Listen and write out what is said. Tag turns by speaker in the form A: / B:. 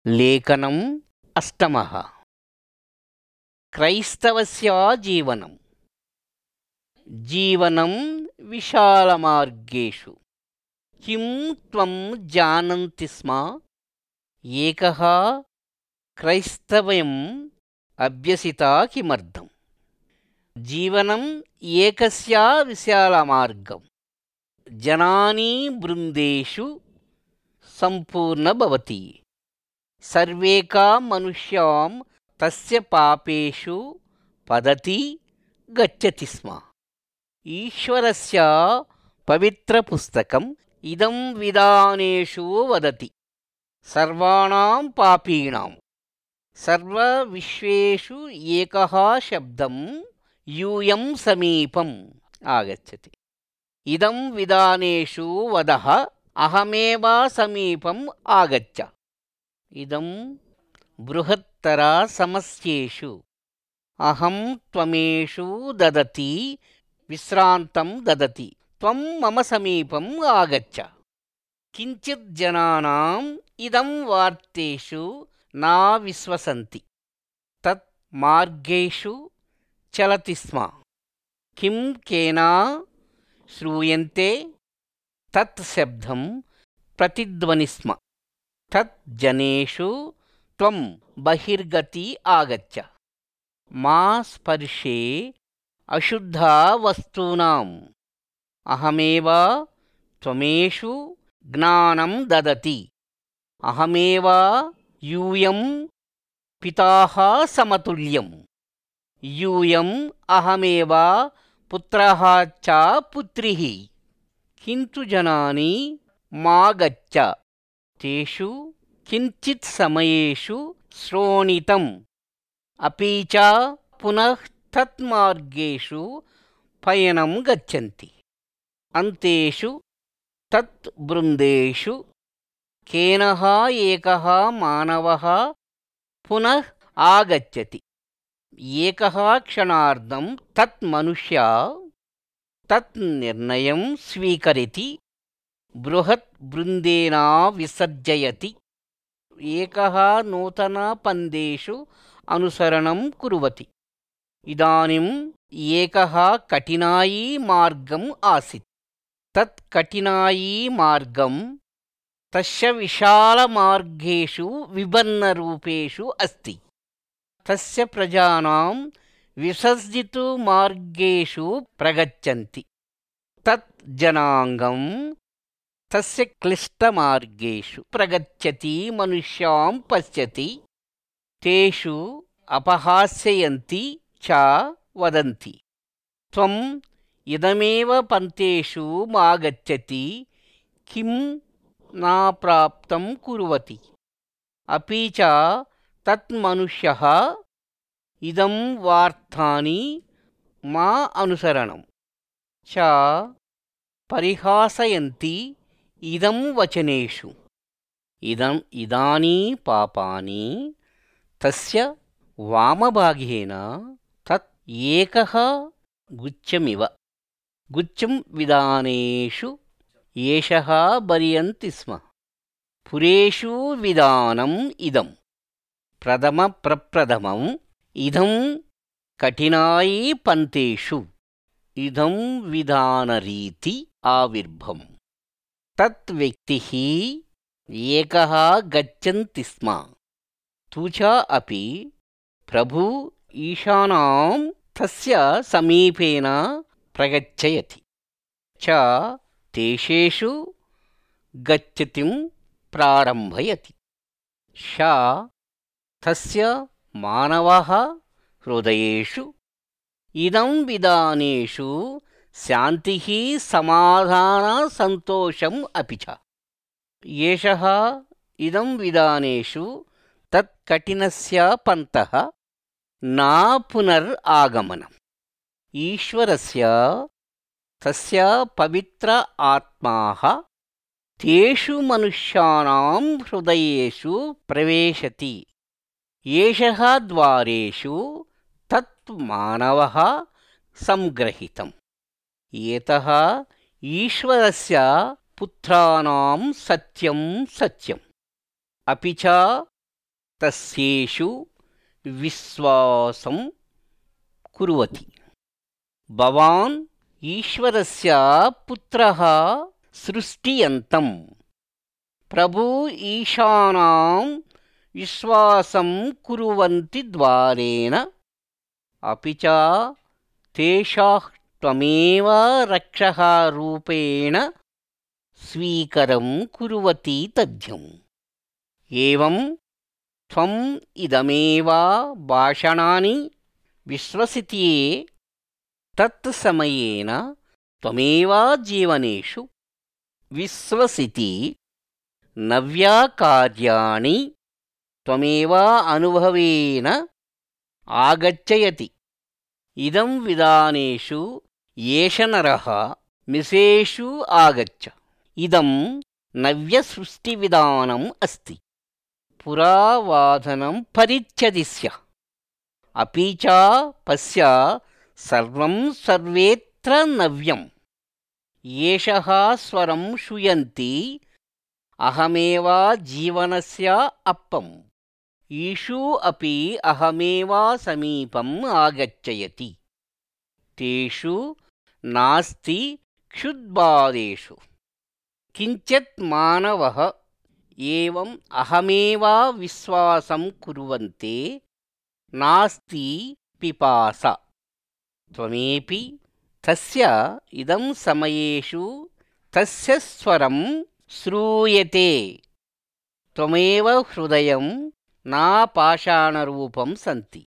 A: लेखनम् अष्टमः। क्रैस्तवस्य जीवनं। जीवनं विशालमार्गेषु। किं त्वं जानन्ति स्म? एकः क्रैस्तव्यम् अभ्यसिता किमर्थम्? जीवनम् एकस्य विशालमार्गम्। जनानि वृन्देषु सम्पूर्ण भवति। सर्वेका मनुष्यां तस्य पापेषु पतति गच्छति स्म। ईश्वरस्य पवित्रपुस्तकम् इदं विधानेषु वदति। सर्वाणां पापीणां सर्वविश्वेषु एकः शब्दं यूयं समीपम् आगच्छति। इदं विधानेषु वदः अहमेव समीपम् आगच्छ। इदं बृहत्तरसमस्येषु अहं त्वमेषु ददति विश्रान्तं ददति। त्वं मम समीपम् आगच्छ। किञ्चित् जनानाम् इदं वार्तेषु न विश्वसन्ति। तत् मार्गेषु चलति स्म। किं केन श्रूयन्ते तत् शब्दं प्रतिध्वनि स्म। तत् जनेषु त्वं बहिर्गति आगच्छ। मा स्पर्शे अशुद्धवस्तूनाम्। अहमेव त्वमेषु ज्ञानं ददति। अहमेव यूयं पिताः समतुल्यम्। यूयम् अहमेव पुत्रः च पुत्रिः। किन्तु जनानि मा गच्छ। तेषु किञ्चित् समयेषु श्रोणितम्। अपि च पुनः तत्मार्गेषु पयनं गच्छन्ति। अन्तेषु तत् वृन्देषु केनः एकः मानवः पुनः आगच्छति। एकः क्षणार्धं तत् मनुष्य तत् निर्णयं स्वीकरोति। बृहत् वृन्देन विसर्जयति। एकः नूतनपन्थेषु अनुसरणं कुर्वति। इदानीम् एकः कठिनायी मार्गम् आसीत्। तत् कठिनायी मार्गं तस्य विशालमार्गेषु विभिन्नरूपेषु अस्ति। तस्य प्रजानां विसर्जितमार्गेषु प्रगच्छन्ति। तत् जनाङ्गं तस्य क्लिष्टमार्गेषु प्रगच्छति मनुष्यां पश्यति। तेषु अपहास्यन्ति च वदन्ति। त्वम् इदमेव पन्थेषु मागच्छति किं न प्राप्तं कुर्वति। अपि च तत् मनुष्यः इदं वार्तानि मा अनुसरणं च परिहासयन्ति इदं वचनेषु। इदानी पापानि तस्य वामभागेन तत् एकः गुच्छमिव। गुच्छं विधानेषु एषः भर्यन्ति स्म। पुरेषु विधानम् इदं प्रथमं इदं कठिनायी पन्थेषु इदं विधानरीति आविर्भवम्। तत् व्यक्तिः एकः गच्छन्ति स्म। तु च अपि प्रभु ईशानां तस्य समीपेन प्रगच्छयति च देशेषु गच्छतिं प्रारम्भयति। स तस्य मानवः हृदयेषु इदं विधानेषु शान्तिः समाधानसन्तोषम् अपि च। एषः इदं विधानेषु तत् कठिनस्य पन्थः न पुनरागमनम्। ईश्वरस्य तस्य पवित्र आत्माः तेषु मनुष्याणां हृदयेषु प्रवेशति। एषः द्वारेषु तत् मानवः संग्रहीतम्। एतः ईश्वरस्य पुत्राणां सत्यं सत्यम्। अपि च तस्येषु विश्वासं कुर्वति। भवान् ईश्वरस्य पुत्रः सृष्टियन्तं प्रभु ईशानां विश्वासं कुर्वन्ति द्वारेण अपि च तेषां त्वमेव रक्षः रूपेण स्वीकरं कुर्वति तथ्यम्। एवं त्वम् इदमेव भाषणानि विश्वसिते तत्समयेन त्वमेव जीवनेषु विश्वसिति नव्यकार्याणि त्वमेव अनुभवेन आगच्छयति। इदं विधानेषु येष नरः मिसेषु आगच्छ। इदं नव्यसृष्टिविधानम् अस्ति। पुरावाधनं परिच्छति स्यात्। अपि च पश्य सर्वं सर्वेत्र नव्यम्। येषः स्वरं श्रूयन्ति अहमेव जीवनस्य अप्पम्। ईषु अपि अहमेव समीपम् आगच्छयति। तेषु नास्ति क्षुद्बाधेषु। किञ्चित् मानवः एवम् अहमेव विश्वासं कुर्वन्ते नास्ति पिपासा। त्वमेपि तस्य इदं समयेषु तस्य स्वरं श्रूयते। त्वमेव हृदयं न पाषाणरूपं सन्ति।